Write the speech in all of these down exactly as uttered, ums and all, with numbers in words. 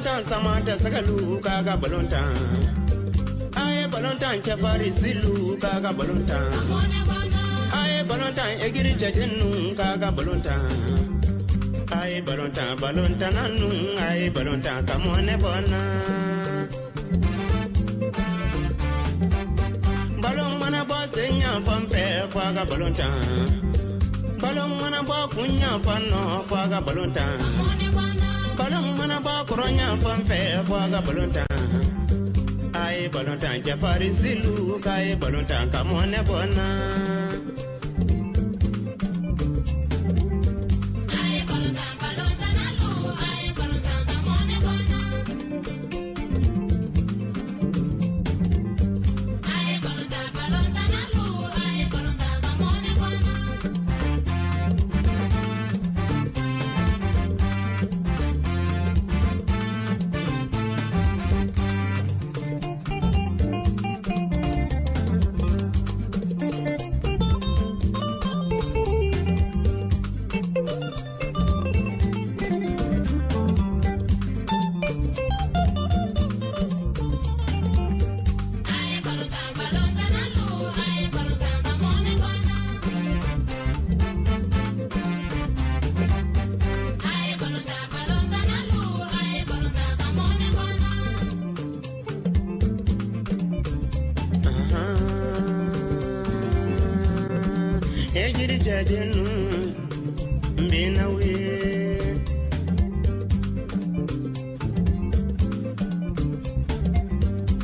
Balontan sama tɛ sɛgɛlu k'a ka balontan. A ye balontan cɛfarin silu k'a ka balontan. A ye balontan egiri cɛdennu k'a ka balontan. A ye balontan balontanna nu a ye balontan ka mɔnɛ bɔ n na. Balon mana bɔ sen ɲanfan fɛ fo a ka balontan. Balon mana bɔ kun ɲanfan nɔ fo a ka balontan. Balon mana bɔ kɔrɔ ɲanfan fɛ fo a ka balontan. A ye balontan cɛfarin silu k'a ye balontan ka mɔnɛ bɔ n na.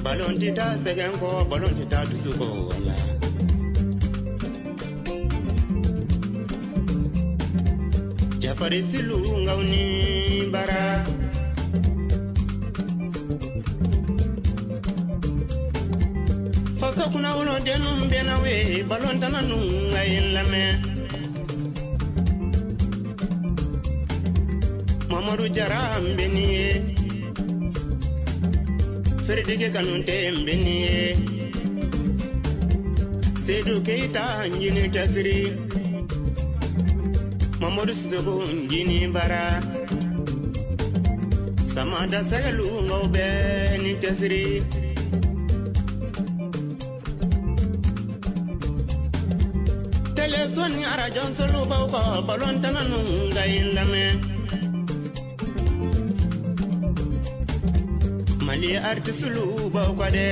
Balon tɛ taa sɛgɛn kɔ, balon tɛ taa dusu kɔ wala. Jafari silu ngaw ni bara. Faso kunna wolodennu bɛna we, balon tana nu a ye n lamɛn. Mamadu Jara n bɛ nin ye. Feredeke Kanute n bɛ nin ye. Sedu Keita n jini cɛsiri. Mamadu Sisoko n jini bara. Samada Sɛgɛlu ngaw bɛɛ ni cɛsiri. Teleso ni arajo baw kɔ, balon tana nu ka ye n lamɛn. Mali artisulu baw kɔ dɛ.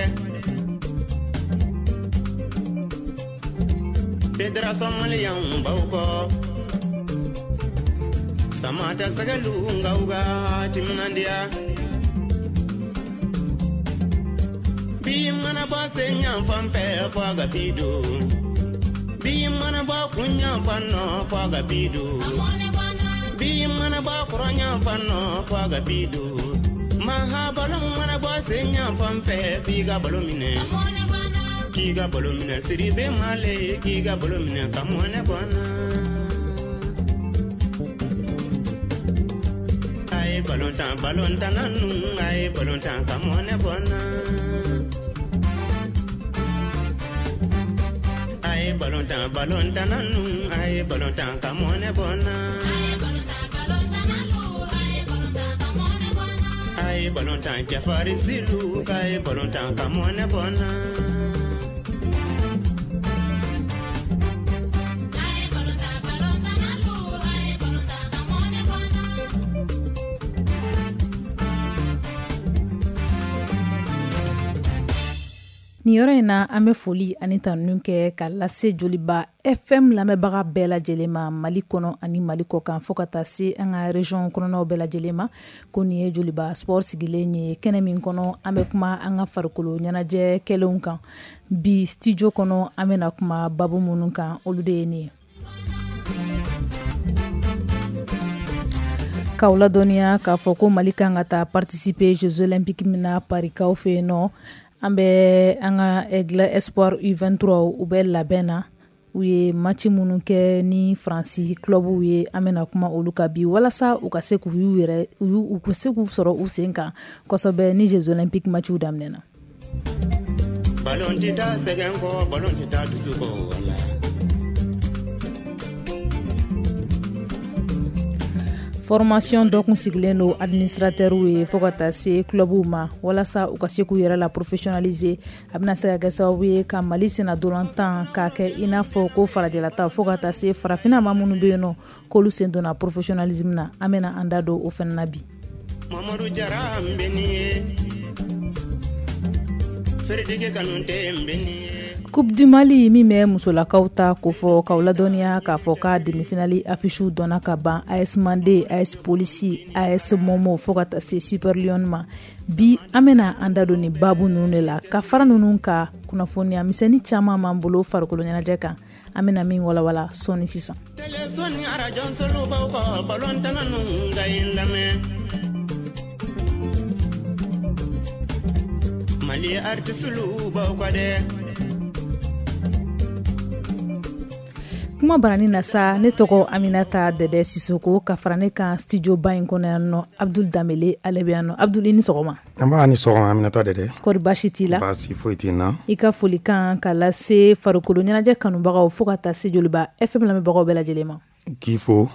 Fédération Malienne baw kɔ. Samata Sɛgɛlu ngaw ka timinandiya. Bi mana bɔ sen ɲanfan fɛ fo a ka bi don. Bi mana bɔ kun ɲanfan nɔ fo a ka bi don. Bi mana bɔ kɔrɔ ɲanfan nɔ fo a ka bi don. Maha balon mana bɔ sen ɲanfan fɛ f'i ka balo minɛ. K'i ka balo minɛ Siribe Male k'i ka balo minɛ ka mɔnɛ bɔ n na. A ye balontan balontanna nu a ye balontan ka mɔnɛ bɔ n na. A ye balontan balontanna nu a ye balontan ka mɔnɛ bɔ n na. A ye balontan cɛfarin silu k'a ye balontan ka mɔnɛ bɔ n na. Nin yɔrɔ in na an bɛ foli ani tanuni kɛ ka lase Joliba F M lamɛnbaga bɛɛ lajɛlen ma Mali kɔnɔ ani Mali kɔ kan fo ka taa se an ka région kɔnɔnaw bɛɛ lajɛlen ma. Ko nin ye Joliba Sport sigilen ye kɛnɛ min kɔnɔ an bɛ kuma an ka farikolo ɲɛnajɛ kɛlenw kan. Bi studio kɔnɔ an bɛna kuma babu minnu kan olu de ye nin ye. K'aw ladɔnniya k'a fɔ ko Mali kan ka taa participer Jeux Olympiques min na Paris kaw fɛ yen nɔ. An bɛ an ka Aigle Espoir U vingt-trois u bɛ labɛn na. U ye match minnu kɛ ni Faransi club ye, an bɛna kuma olu kan bi walasa u ka se k'u yɛrɛ u ka se k'u sɔrɔ u sen kan kosɛbɛ ni Jeux Olympiques match daminɛna. Ballon tɛ taa sɛgɛn kɔ, ballon tɛ taa dusu kɔ wala. Formation dɔ kun sigilen don administrateurw ye fo ka taa se clubw ma walasa u ka se k'u yɛrɛ la professionnaliser. A bɛna se ka kɛ sababu ye ka Mali senna ntolantan k'a kɛ i n'a fɔ ko farajɛlata fo ka taa se farafinna maa minnu bɛ yen nɔ k'olu sen donna professionnalisme na. An bɛna an da don o fana na bi. Mamadu Jara n bɛ nin ye, Feredeke Kanute n bɛ nin ye. Coupe du Mali min bɛ musolakaw ta ko fɔ k'aw ladɔnniya k'a fɔ k'a demi-finale affiche dɔnna ka ban. A S Mande, A S Polisi, A S Momo fo ka taa se Super Lion ma. Bi an bɛna an da don nin baabu ninnu de la ka fara ninnu ka kunnafoniya misɛnnin caman b'an bolo farikolo ɲɛnajɛ kan. An bɛna min walawala sɔɔni sisan. Téléphone arajo solubaw kɔ balontanna ninnu ka ɲi lamɛn. Mali artiste baw kɔ dɛ. Kuma barani na sa, ne tɔgɔ Aminata Dɛdɛ Sisoko, ka fara ne kan studio ba in kɔnɔ yan nɔ Abdul Danbele, ale bɛ yan nɔ. Abdul, i ni sɔgɔma. An b'a ni sɔgɔma Aminata Dɛdɛ. Kɔri baasi t'i la? Baasi foyi t'i na. I ka folikan ka lase farikolo ɲɛnajɛ kanubagaw fo ka taa se Joliba F M lamɛnbagaw bɛɛ lajɛlen ma. K'i fo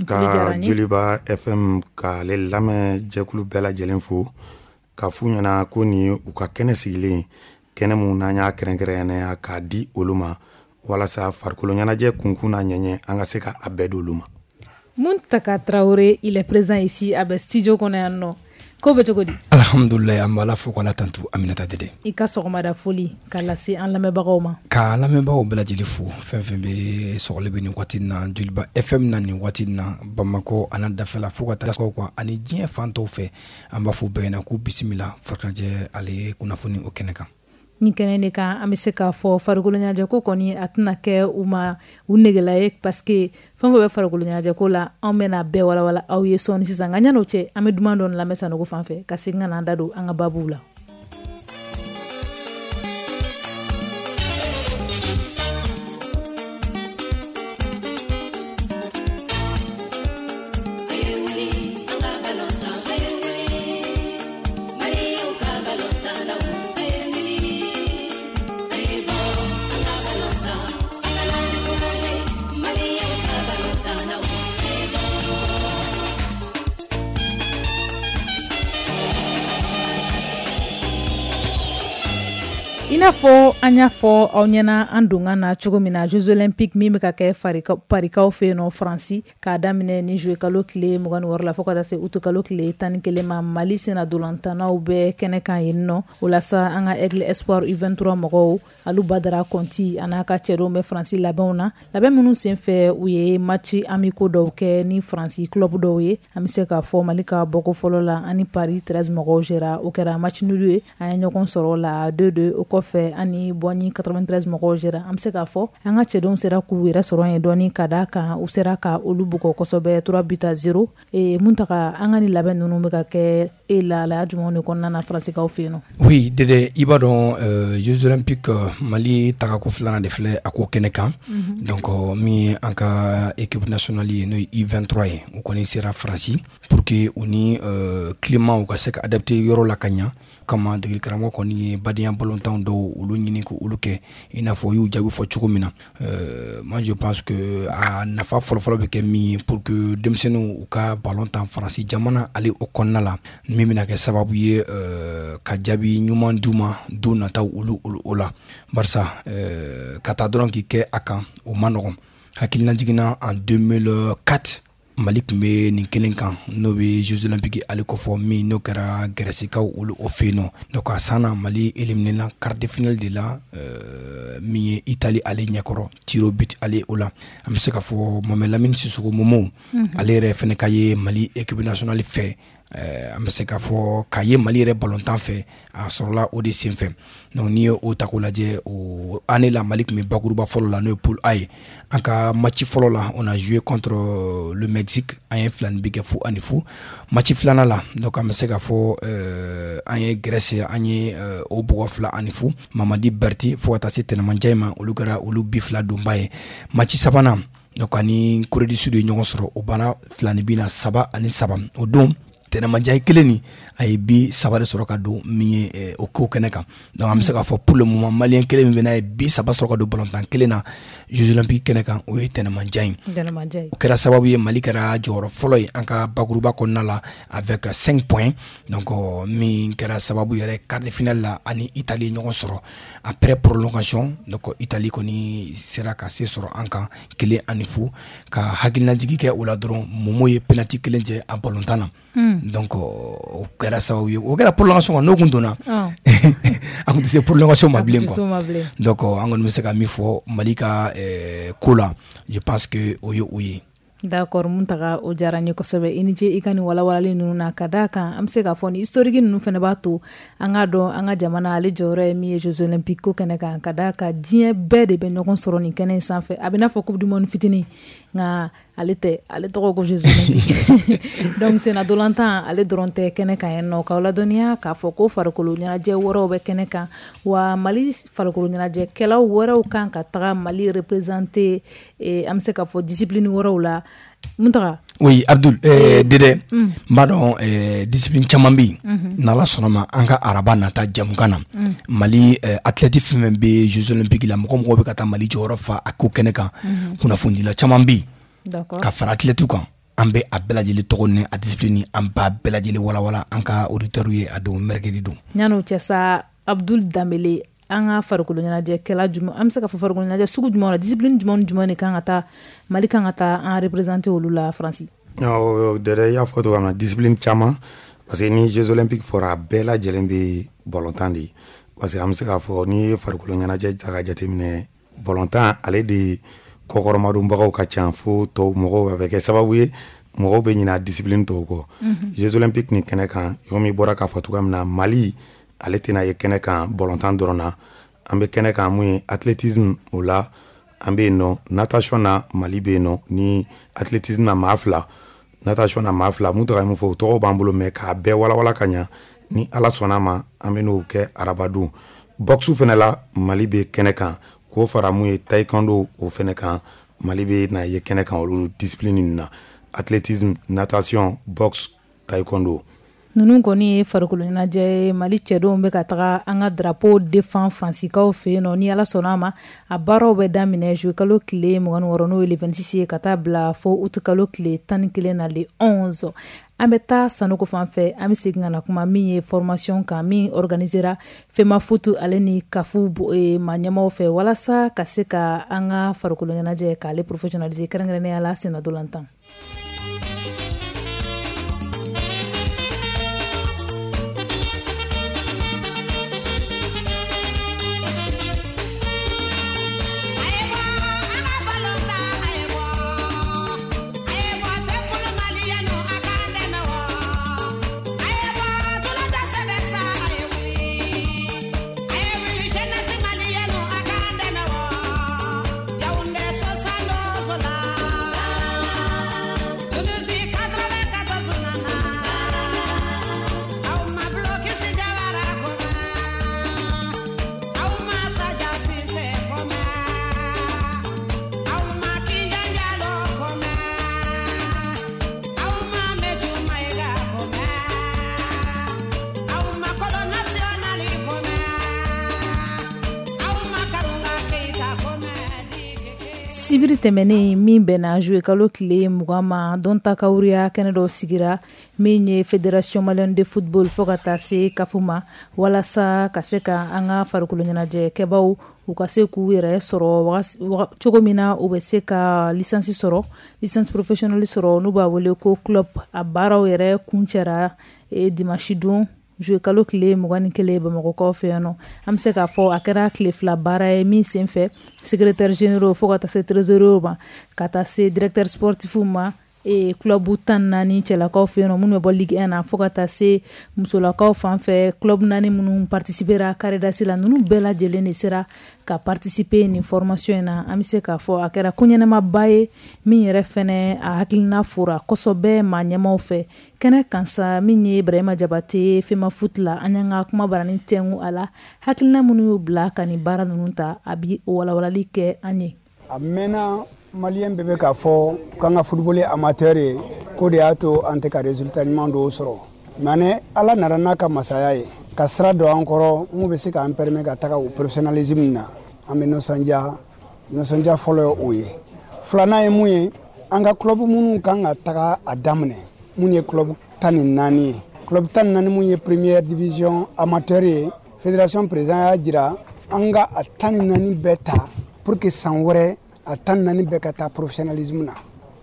ka Joliba F M k'ale lamɛn jɛkulu bɛɛ lajɛlen fo, ka f'u ɲɛna ko nin u ka kɛnɛ sigilen, kɛnɛ mun n'an y'a kɛrɛnkɛrɛnnenya k'a di olu ma walasa farikolo ɲɛnajɛ kunkun n'a ɲɛɲɛ an ka se ka a bɛɛ d'olu ma. Muntaka Traoré, il est présent ici a bɛ studio kɔnɔ yan nɔ. Ko bɛ cogo di? Alhamdulilayi, an b'Ala fo k'Ala tantu Aminata Dɛdɛ. I ka sɔgɔmada foli ka lase an lamɛnbagaw ma. Ka lamɛnbagaw bɛɛ lajɛlen fo, fɛn fɛn bɛ sɔgɔli bɛ nin waati in na Joliba F M na nin waati in na Bamakɔ a n'a dafɛla fo ka taa kan ani diɲɛ fan tɔw fɛ, an b'a fɔ bɛɛ ɲɛna k'u bisimila farikolo ale kunnafoni o kɛnɛ kan. Ni kɛnɛ de kan an bɛ se k'a fɔ farikolo ɲɛnajɛ ko kɔni a tɛna kɛ u ma u negela ye, parce que fɛn fɛn bɛ farikolo ɲɛnajɛ ko la anw bɛna bɛɛ walawala aw ye sɔɔni sisan. Nka yan'o cɛ an bɛ duman dɔɔni lamɛn Sanogo fan fɛ ka segin ka na an da don an ka baabuw la. I n'a fɔ an y'a fɔ aw ɲɛna an donkan na cogo min na, Jeux Olympiques min bɛ ka kɛ Parikaw fɛ yen nɔ Faransi, k'a daminɛ ni juillet kalo tile mugan ni wɔɔrɔ la fo ka taa se août kalo tile tan ni kelen ma, Mali senna ntolantannaw bɛ kɛnɛ kan yen nɔ. O la sa an ka Aigle Espoir U vingt-trois mɔgɔw, Alu Badara Kɔnti a n'a ka cɛdenw bɛ Faransi labɛnw na. Labɛn minnu senfɛ u ye match amicaux dɔw kɛ ni Faransi club dɔw ye. An bɛ se k'a fɔ Mali ka bɔko fɔlɔ la ani Paris treize mɔgɔw jɛra, o kɛra match nul ye. An ye ɲɔgɔn sɔrɔ la deux deux. O kɔfɛ ani Bɔnni quatre-vingt-treize mɔgɔw jɛra. An bɛ se k'a fɔ an ka cɛdenw sera k'u yɛrɛ sɔrɔ yen dɔɔni ka d'a kan u sera ka olu bugɔ kosɛbɛ trois buts à zéro. Ee Muntaka, an ka nin labɛn ninnu bɛ ka kɛ e lahalaya jumɛnw de kɔnɔna na Faransikaw fɛ yen nɔ? Oui Dɛdɛ, i b'a dɔn Jeux Olympiques Mali tagako filanan de filɛ a ko kɛnɛ kan. Donc min ye an ka équipe nationale ye n'o ye U vingt-trois ye, u kɔni sera Faransi pour que u ni climat u ka se ka adapter yɔrɔ la ka ɲa. Kama degeli karamɔgɔ kɔni ye badenya balontan dɔw olu ɲini k'olu kɛ i n'a fɔ u y'u jaabi fɔ cogo min na. Moi je pense que a nafa fɔlɔfɔlɔ bɛ kɛ min ye pour que denmisɛnninw u ka ballon tan Faransi jamana ale o kɔnɔna la, min bɛna kɛ sababu ye ka jaabi ɲuman d'u ma don nataw olu o la. Barisa ka taa dɔrɔn k'i kɛ a kan o man nɔgɔn. Hakilina jiginna en deux mille quatre Mali tun bɛ nin kelen kan n'o bɛ Jeux Olympiques ale kofɔ min n'o kɛra Gɛrɛsikaw olu o fɛ yen nɔ. Donc a san na Mali éliminé la quart de finale de la euh, min ye Italie ale ɲɛkɔrɔ tir au but ale o la. An bɛ se k'a fɔ Mohamed Lamine Sissoko Momo ale yɛrɛ fɛnɛ ka ye Mali équipe nationale fɛ. An bɛ se k'a fɔ k'a ye Mali yɛrɛ balontan fɛ a sɔrɔla o de senfɛ. Donc n'i ye o ta k'o lajɛ o année la Mali tun bɛ bakuruba fɔlɔ la n'o ye poule A ye. An ka match fɔlɔ la on a joué contre le Mexique, an ye fila ni bi kɛ fu ani fu. Match filanan la donc an bɛ se k'a fɔ an ye Grèce an ye o bugɔ fila ani fu. Mamadi Berti fo ka taa se Tɛnɛmanjan ma olu kɛra olu bi fila donba ye. Match sabanan donc ani Corée du Sud ye ɲɔgɔn sɔrɔ o banna fila ni bi na saba ani saba. O don Tɛnɛma Njayi kelen nin, a ye but saba de sɔrɔ ka don min ye o ko kɛnɛ kan. Donc an bɛ se k'a fɔ pour le moment, malien kelen min bɛ n'a ye but saba sɔrɔ ka don balontan kelen na Jeux olympiques kɛnɛ kan, o ye Tɛnɛma Njayi. O kɛra sababu ye, Mali kɛra jɔyɔrɔ fɔlɔ ye an ka bakuruba kɔnɔna la avec cinq points. Donc min kɛra sababu yɛrɛ, quart de finale la, ani Italie ɲɔgɔn sɔrɔ après prolongation. Donc Italie kɔni sera ka se sɔrɔ an kan kelen ani fu. Ka hakilinajigi kɛ o la dɔrɔn, Momo ye penalty kelen jɛ a balontan na. Donc o kɛra sababu ye, o kɛra prolongation kan. N'o kun donna, an kun tɛ se prolongation ma bilen quoi. Donc an kɔni bɛ se ka min fɔ Mali ka ko la, je pense que o ye o ye. D'accord, Muntaga, o diyara n ye kosɛbɛ. I ni ce i ka nin walawalali ninnu na. Ka d'a kan, an bɛ se k'a fɔ ni historique ninnu fana b'a to an k'a dɔn an ka jamana ale jɔyɔrɔ ye min ye Jeux olympiques ko kɛnɛ kan. Ka d'a kan, diɲɛ bɛɛ de bɛ ɲɔgɔn sɔrɔ nin kɛnɛ in sanfɛ. A bɛ n'a fɔ coupe du monde fitinin, nka ale tɛ, ale tɔgɔ ko Jeux olympiques. Donc senna dolantan ale dɔrɔn tɛ kɛnɛ kan yen nɔ. K'aw ladɔnniya k'a fɔ ko farikolo ɲɛnajɛ wɛrɛw bɛ kɛnɛ kan wa, Mali farikolo ɲɛnajɛkɛlaw wɛrɛw kan ka taga Mali représenter, an bɛ se k'a fɔ discipline wɛrɛw la. Muntaga. Oui, Abdul, eh, Dede, n b'a dɔn eh, discipline caman bɛ yen. N'Ala sɔnna ma, an ka araba nata jamukan na, Mali eh, athlète fɛn fɛn bɛ Jeux olympiques la, mɔgɔ mɔgɔ bɛ ka taa Mali jɔyɔrɔ fa a ko kɛnɛ kan, kunnafonidila caman bɛ yen ka fara athlète kan. An bɛ a bɛɛ lajɛlen tɔgɔ ni a discipline, an b'a bɛɛ lajɛlen walawala an ka auditeurs ye a don mercredi don. Yan'o cɛ sa, Abdul Danbele, an ka farikolo ɲɛnajɛkɛla jumɛn, an bɛ se ka fɔ farikolo ɲɛnajɛ sugu jumɛn na, discipline jumɛn ni jumɛn de kan ka taa, Mali kan ka taa an représenter olu la Faransi? Dɛdɛ, i y'a fɔ cogoya min na, discipline caman, parce que ni Jeux olympiques fɔra, a bɛɛ lajɛlen bɛ balontan de ye. Parce que an bɛ se k'a fɔ, n'i ye farikolo ɲɛnajɛ ta ka jateminɛ, balontan ale de kɔkɔrɔmadonbagaw ka ca fo tɔw mɔgɔw. A bɛ kɛ sababu ye mɔgɔw bɛ ɲinɛ discipline tɔw kɔ. Jeux olympiques nin kɛnɛ kan, komi i bɔra k'a fɔ cogoya min na, Mali ale tɛna ye kɛnɛ kan balontan dɔrɔn na. An bɛ kɛnɛ kan mun ye, athlétisme, o la an bɛ yen nɔ. Natation na, Mali bɛ yen nɔ. Ni athlétisme na, maa fila, natation na, maa fila. Mun tɔgɔ ye mun fɔ, o tɔgɔ b'an bolo, mɛ k'a bɛɛ walawala ka ɲa, ni Ala sɔnna ma, an bɛ n'o kɛ arabadon. Boxe fɛnɛ la, Mali bɛ kɛnɛ kan. K'o fara mun ye, taekwondo, o fɛnɛ kan, Mali bɛ na ye kɛnɛ kan. Olu discipline ninnu na: athlétisme, natation, boxe, taekwondo. Ninnu kɔni ye farikolo ɲɛnajɛ ye. Mali cɛdenw bɛ ka taga an ka drapeau défend Faransikaw fɛ yen nɔ. Ni Ala sɔnna a ma, a baaraw bɛ daminɛ juillet kalo tile mugan ni wɔɔrɔ, n'o ye le vingt-six ye, ka taa bila fo août kalo tile tan ni kelen na, le onze. An bɛ taa Sanogo fan fɛ. An bɛ segin ka na kuma min ye formation kan, min organisera FEMAFOOT ale ni CAF maa ɲɛmaw fɛ, walasa ka se ka an ka farikolo ɲɛnajɛ k'ale professionnaliser, kɛrɛnkɛrɛnnenya la senna dolantan. Sibiri tɛmɛnen min bɛnna juillet kalo tile mugan ma, dɔnta kawuriya kɛnɛ dɔ sigira min ye Fédération malienne de football fo ka taa se CAF ma, walasa ka se ka an ka farikolo ɲɛnajɛkɛbaw u ka se k'u yɛrɛ sɔrɔ cogo min na, u bɛ se ka licence sɔrɔ, licence professionnelle sɔrɔ, n'u b'a wele ko club. A baaraw yɛrɛ kuncɛra dimanche don, juillet kalo tile mugan ni kelen, Bamakɔkaw fɛ yan nɔ. An bɛ se k'a fɔ a kɛra tile fila baara ye min senfɛ, secrétaire généraux fo ka taa se trésorier ma, ka taa se directeur sportif ma, club tan naani cɛlakaw fɛ yen nɔ minnu bɛ bɔ Ligue un na, fo ka taa se musolakaw fan fɛ, club naani minnu participera CAREDAS la, ninnu bɛɛ lajɛlen de sera ka participer nin formation in na. An bɛ se k'a fɔ a kɛra ko ɲɛnamaba ye min yɛrɛ fɛnɛ a hakilina fora kosɛbɛ maa ɲɛmaw fɛ kɛnɛ kan sa. Min ye Ibrahima Jabate FEMAFOOT la, an y'an ka kuma barani tɛnku a la, hakilina minnu y'u bila ka nin baara ninnu ta, a bi walawalali kɛ an ye. A mɛnna, malien bɛɛ bɛ k'a fɔ k'an ka football amateur ye. K'o de y'a to an tɛ ka résultat ɲuman dɔw sɔrɔ. Mais ni Ala nana n'a ka masaya ye ka sira don an kɔrɔ mun bɛ se k'an permettre ka taga o professionnalisme na, an bɛ nisɔndiya. Nisɔndiya fɔlɔ ye o ye. Filanan ye mun ye, an ka club minnu kan ka taga a daminɛ, mun ye club tan ni naani ye, club tan ni naani mun ye première division amateur ye, fédération président y'a jira an ka a tan ni naani bɛɛ ta pour que san wɛrɛ a tan ni naani bɛɛ ka taa professionnalisme na.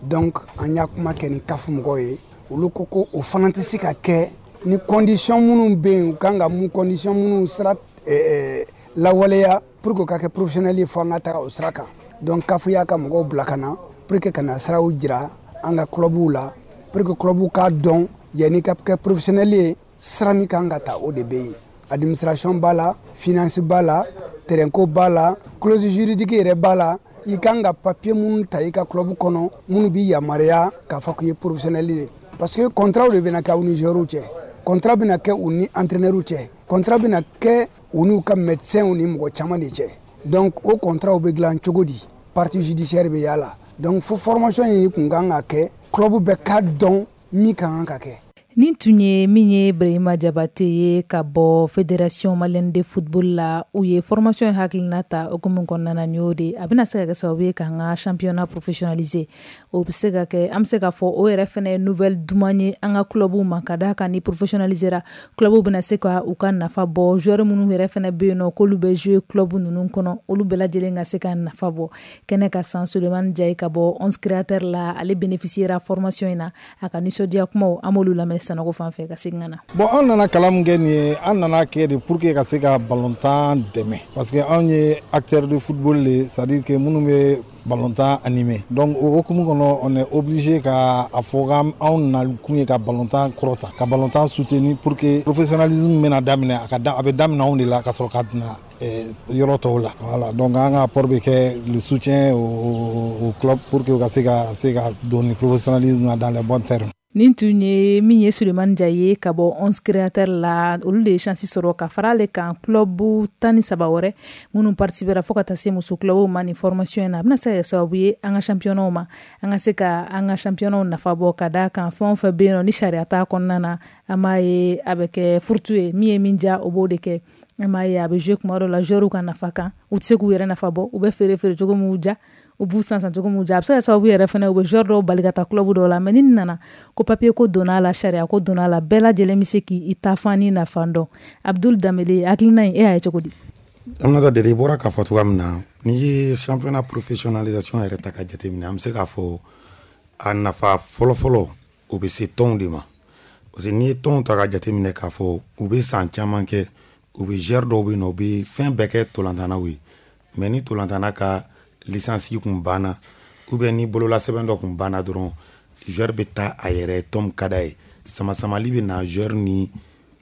Donc an y'a kuma kɛ ni CAF mɔgɔw ye, olu ko ko o fana tɛ se ka kɛ ni condition minnu bɛ yen, u kan ka mun condition minnu sira eh, lawaleya pour que o ka kɛ professionnel ye, fo an ka taga o sira kan. Donc CAF y'a ka mɔgɔw bila ka na pour que ka na siraw jira an ka clubw la, pour que clubw k'a dɔn yanni ka kɛ professionnel ye, sira min kan ka ta, o de bɛ yen. Administration b'a la, finance b'a la, terrain ko b'a la, clause juridique yɛrɛ b'a la. I kan ka papier minnu ta i ka club kɔnɔ minnu b'i yamaruya k'a fɔ k'i ye professionnel ye, parce que contrat de bɛna kɛ aw ni joueurs cɛ, contrat bɛna kɛ u ni entraîneurs cɛ, contrat bɛna kɛ u n'u ka médecins ni mɔgɔ caman de cɛ. Donc o contrat bɛ dilan cogo di, partie judiciaire bɛ y'a la. Donc fo formation in kun kan ka kɛ club bɛɛ k'a dɔn min ka kan ka kɛ. Nin tun ye min ye Brahima Jabate ye ka bɔ Fédération malienne de football la. U ye formation hakilina ta hukumu kɔnɔna na, nin y'o de a bɛna se ka kɛ sababu ye k'an ka championnat professionnaliser. O bɛ se ka kɛ, an bɛ se k'a fɔ o yɛrɛ fɛnɛ ye nouvelle duman ye an ka clubw ma, ka d'a kan ni professionnalisera, clubw bɛna se ka u ka nafa bɔ. Joueur minnu yɛrɛ fɛnɛ bɛ yen nɔ k'olu bɛ jouer club ninnu kɔnɔ, olu bɛɛ lajɛlen ka se ka nafa bɔ kɛnɛ ka san. Sulemani Jayi ka bɔ onze créateurs la, ale bénéficiera formation in na. A ka nisɔndiya kumaw, an b'olu lamɛn Sanogo fan fɛ ka segin ka na. Bon, an nana kalan min kɛ nin ye, an nana kɛ de pour que ka se ka balontan dɛmɛ, parce que anw ye acteur de football le, c'est à dire que minnu bɛ balontan animé. Donc o hukumu kɔnɔ, on est obligé ka a fɔ k'anw nakun ye ka balontan kɔrɔta, ka balontan soutenir, pour que professionnalisme bɛna daminɛ, a ka da a bɛ daminɛ anw de la ka sɔrɔ ka na yɔrɔ tɔw la. Voilà, donc an ka apport bɛ kɛ le soutien au, au club pour que u ka se ka se ka don ni professionnalisme na dans les bons termes. Nin tun ye min ye Sulemani Jayi ye ka bɔ onze créateurs la. Olu de ye chance sɔrɔ ka fara ale kan, club tan ni saba wɛrɛ minnu participera, fo ka taa se muso clubw ma nin formation in na. A bɛna se ka kɛ sababu ye an ka championnat ma, an ka se ka an ka championnat nafa bɔ, ka d'a kan fɛn o fɛn bɛ yen nɔ ni sariya t'a kɔnɔna na, an b'a ye a bɛ kɛ furutu ye. Min ye min diya, o b'o de kɛ. An b'a ye a bɛ jouer kuma dɔw la joueurs ka nafa kan, u tɛ se k'u yɛrɛ nafa bɔ, u bɛ feere feere cogo min diya, u b'u san san cogo min diya. A bɛ se ka sababu yɛrɛ fɛnɛ u bɛ joueur dɔw bali ka taa club dɔw la. Mais ni nana ko papier ko donna a la, sariya ko donna a la, bɛɛ lajɛlen bɛ se k'i ta fan ni nafa dɔn. Abdul Danbele, hakilina in, e y'a ye cogo di? Aminata Dede, i bɔra k'a fɔ cogoya min na, n'i ye championnat professionnalisation yɛrɛ ta ka jateminɛ, an bɛ se k'a fɔ a nafa fɔlɔfɔlɔ, o bɛ se tɔnw de ma, parce que n'i ye tɔnw ta ka jateminɛ k'a fɔ u bɛ san caman kɛ, u bɛ joueur dɔw bɛ yen nɔ, u bɛ fɛn bɛɛ kɛ tolantannaw ye. Mais ni tolantanna ka licence kun banna, ou bien ni bololasɛbɛn dɔ kun banna dɔrɔn, joueur bɛ taa a yɛrɛ tɔn min ka d'a ye. Sama-samali bɛ na joueur ni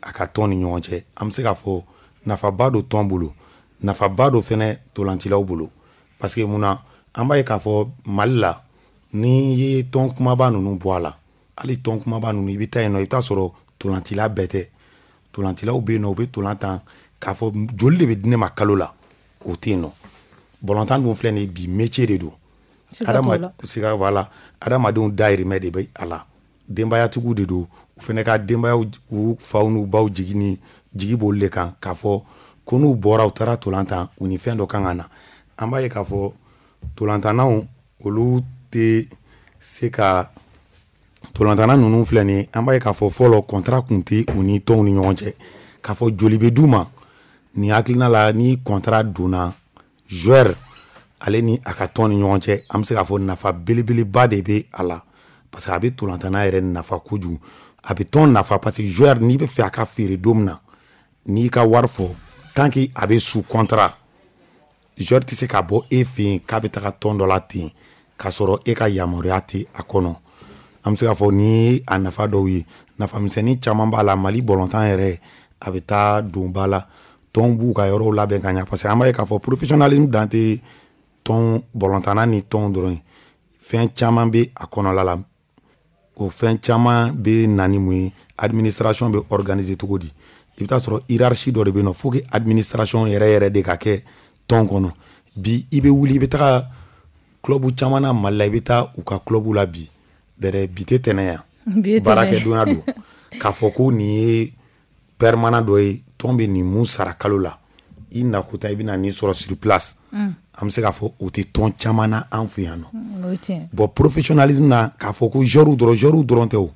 a ka tɔn ni ɲɔgɔn cɛ. An bɛ se k'a fɔ nafaba don tɔn bolo, nafaba don fɛnɛ tolancilaw bolo, parce que mun na, an b'a ye k'a fɔ Mali la, n'i ye tɔn kumaba ninnu bɔ a la, hali tɔn kumaba ninnu, i bɛ taa yen nɔ, i bɛ taa sɔrɔ tolancila bɛɛ tɛ. Tolancilaw bɛ yen nɔ, u bɛ tolan tan k'a fɔ joli de bɛ di ne ma kalo la, o tɛ yen nɔ. Balontan dun filɛ nin ye bi, métier de don. Adama siga, voilà, adamadenw dahirimɛ de bɛ a la, denbayatigiw de don, u fɛnɛ ka denbayaw, u faw n'u baw jigi ni jigi b'olu de kan k'a fɔ ko n'u bɔra u taara tolan tan, u ni fɛn dɔ kan ka na. An b'a ye k'a fɔ tolantannaw, olu tɛ se ka tolantanna ninnu filɛ nin ye, an b'a ye k'a fɔ fɔlɔ contrat kun tɛ u ni tɔnw ni ɲɔgɔn cɛ k'a fɔ joli bɛ d'u ma. Nin hakilina la, ni contrat donna joueur ale ni a ka tɔn ni ɲɔgɔn cɛ, an bɛ se k'a fɔ nafa belebeleba de bɛ a la, parce que a bɛ tolantanna yɛrɛ nafa kojugu, a bɛ tɔn nafa, parce que joueur, n'i bɛ fɛ a ka feere don min na, n'i ka wari fɔ, tant que a bɛ sous contrat, joueur tɛ se ka bɔ e fɛ yen k'a bɛ taga tɔn dɔ la ten k'a sɔrɔ e ka yamaruya tɛ a kɔnɔ. An bɛ se k'a fɔ ni a nafa dɔw ye, nafa misɛnnin caman b'a la. Mali balontan yɛrɛ, a bɛ taa don ba la, tɔn b'u ka yɔrɔw labɛn ka ɲa, parce que an b'a ye k'a fɔ professionnalisme dan tɛ tɔn balontanna ni tɔn dɔrɔn ye, fɛn caman bɛ a kɔnɔla la. O fɛn caman bɛ na ni mun ye? Administration bɛ organiser cogo di? I bɛ taa sɔrɔ hiérarchie dɔ de bɛ yen nɔ, faut que administration yɛrɛ yɛrɛ de ka kɛ tɔn kɔnɔ. Bi i bɛ wuli, i bɛ taga club caman na Mali la, i bɛ taa u ka club la bi, Dɛrɛ bi tɛ tɛnɛ yan, baarakɛdonya don. K'a fɔ ko nin ye permanent dɔ ye, tɔn bɛ nin mun sara kalo la, i nakota i bɛna nin sɔrɔ sur place. An bɛ se k'a fɔ o tɛ tɔn caman na an fɛ yan nɔ. Bon, professionnalisme na, k'a fɔ ko joueur dɔrɔn, joueur dɔrɔn tɛ o,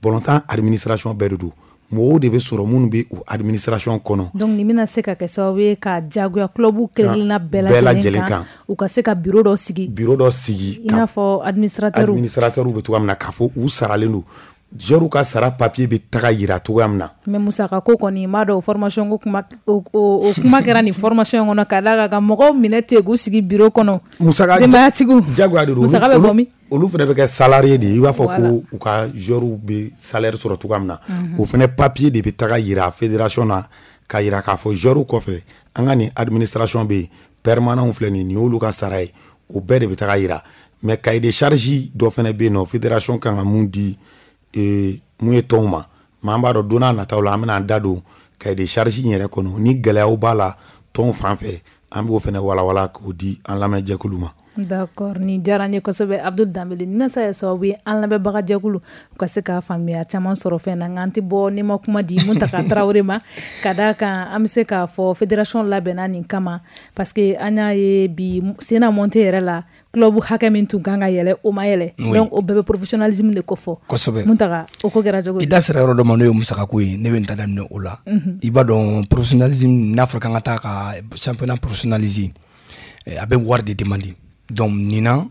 balontan administration bɛɛ de don. Mɔgɔw de bɛ sɔrɔ minnu bɛ o administration kɔnɔ. Donc nin bɛna se ka kɛ sababu ye ka jagoya club kelenkelenna bɛɛ lajɛlen kan, u ka se ka bureau dɔ sigi. Bureau dɔ sigi. I n'a fɔ administrateur. Administrateur bɛ cogoya min na, k'a fɔ u saralen don. Joueur ka sara papier bɛ taga yira cogoya min na. Mais musaka ko kɔni, n b'a dɔn o formation ko kuma, o o kuma kɛra nin formation in kɔnɔ, ka d'a kan ka mɔgɔw minɛ ten k'u sigi bureau kɔnɔ. Musaka denbayatigiw. Jagoya de don. Musaka bɛ bɔ min? Olu fana bɛ kɛ salarié de ye, i b'a fɔ ko u ka joueur bɛ salaire sɔrɔ cogoya min na. O fana papier de bɛ taga yira fédération na, ka yira k'a fɔ joueur kɔfɛ, an ka nin administration bɛ yen, permanent filɛ nin ye, nin y'olu ka sara ye, o bɛɛ de bɛ taga yira. Mais cahier de charge dɔ fana bɛ yen nɔ, fédération kan ka mun di mun ye tɔnw ma. Mais an b'a dɔn don n'a nataw la, an bɛna an da don cahier de charge in yɛrɛ kɔnɔ, ni gɛlɛyaw b'a la tɔnw fan fɛ, an b'o fana walawala k'o di an lamɛnjɛkulu ma. D'accord, nin diyara n ye kosɛbɛ Abdul Danbele. Nin sa ye sababu ye an lamɛnbaga jɛkulu u ka se k'a faamuya caman sɔrɔ fɛn na. Nka an tɛ bɔ n'i ma kuma di Muntaka Tarawele ma, ka d'a kan an bɛ se k'a fɔ fédération labɛnna nin kama, parce que an y'a ye bi senna montée yɛrɛ la, club hakɛ min tun kan ka yɛlɛ, o ma yɛlɛ. Donc o bɛɛ bɛ professionnalisme de kofɔ. Kosɛbɛ. Muntaka, o ko kɛra cogo di? I da sera yɔrɔ dɔ ma, n'o ye musakako ye, ne bɛ n ta daminɛ o la. I b'a dɔn professionnalisme, n'a fɔra k'an ka taa ka championnat professionnaliser, a bɛ wari de demander. Donc nin na,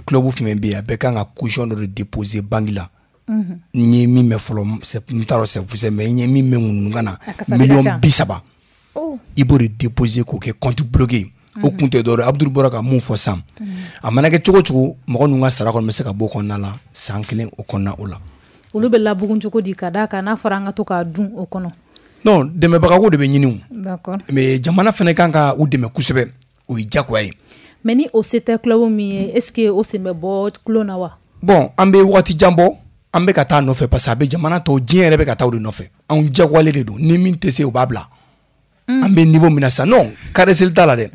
club fɛn bɛ yen, a bɛɛ kan ka caution dɔ de déposer banque la. N ye min mɛn fɔlɔ, n t'a dɔn c'est vrai, mais n ye min mɛn ŋunuŋunukan na, miliyɔn bi saba. I b'o de déposer k'o kɛ compte bloqué. O kun tɛ dɔwɛrɛ ye, Abdul bɔra ka mun fɔ sisan. A mana kɛ cogo o cogo, mɔgɔ ninnu ka sara kɔni bɛ se ka bɔ o kɔnɔna la san kelen o kɔnɔna o la. Olu bɛ labugun cogo di, ka d'a kan n'a fɔra an ka to k'a dun o kɔnɔ? Non, dɛmɛbagako de bɛ ɲini o. D'accord. Mais jamana fana kan ka u dɛmɛ kosɛbɛ, o ye diyagoya ye. Mais ni o se tɛ club min ye, est-ce que o sen bɛ bɔ tulon na wa? Bon, an bɛ waati jan bɔ, an bɛ ka taa nɔfɛ, parce que a bɛ jamana tɔw, diɲɛ yɛrɛ bɛ ka taa o de nɔfɛ. Anw diyagoyalen de don, ni min tɛ se o b'a bila. An bɛ niveau min na sisan, non, kareseli t'a la dɛ.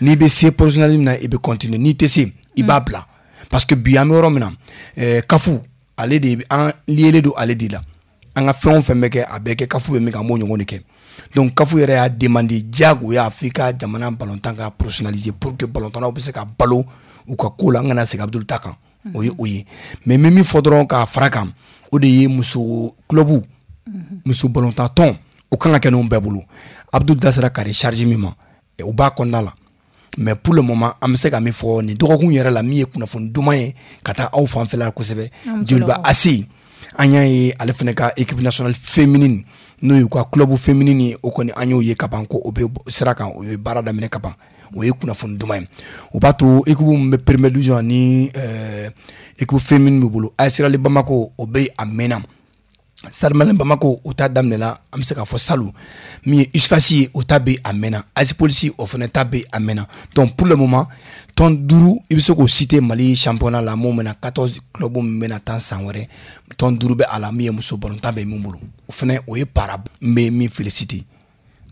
N'i bɛ se professionnalisme na, i bɛ continuer, n'i tɛ se, i b'a bila. Parce que bi an bɛ yɔrɔ min na, ɛɛ C A F ale de an lié don ale de la. An ka fɛn o fɛn bɛ kɛ, a bɛɛ kɛ C A F bɛ min kɛ, an b'o ɲɔgɔn de kɛ. Donc C A F yɛrɛ y'a demandé diyagoya f'i ka jamana balontan ka professionnaliser pour que balontannaw bɛ se ka balo u ka ko la, an kana segin Abdul ta kan. O ye o ye. Mais n bɛ min fɔ dɔrɔn k'a fara kan, o de ye muso club, muso balontan tɔn, o kan ka kɛ ninnu bɛɛ bolo. Abdul da sera cahier de charge min ma, o b'a kɔnɔna la. Mais pour le moment, an bɛ se ka min fɔ nin dɔgɔkun yɛrɛ la, min ye kunnafoni duman ye ka taa aw fanfɛla kosɛbɛ, Joliba A C, an y'a ye ale fana ka équipe nationale féminine, n'o y'u ka club féminine ye, o kɔni an y'o ye ka ban ko o bɛ sira kan, o ye baara daminɛ ka ban. O ye kunnafoni duman ye. O b'a to équipe min bɛ première division ni équipe féminine b'u bolo, A S Real Bamako, o bɛ a mɛnna. Stade Malien Bamako, o ta daminɛna, an bɛ se k'a fɔ salon. Min ye U S F A S ye, o ta bɛ a mɛnna. A S Police, o fana ta bɛ a mɛnna. Donc pour le moment, tɔn duuru i bɛ se k'o citer Mali championnat la, mun bɛna quatorze club min bɛna taa san wɛrɛ, tɔn duuru bɛ a la, min ye muso balontan bɛ min bolo. O fana o ye para, n bɛ min féliciter.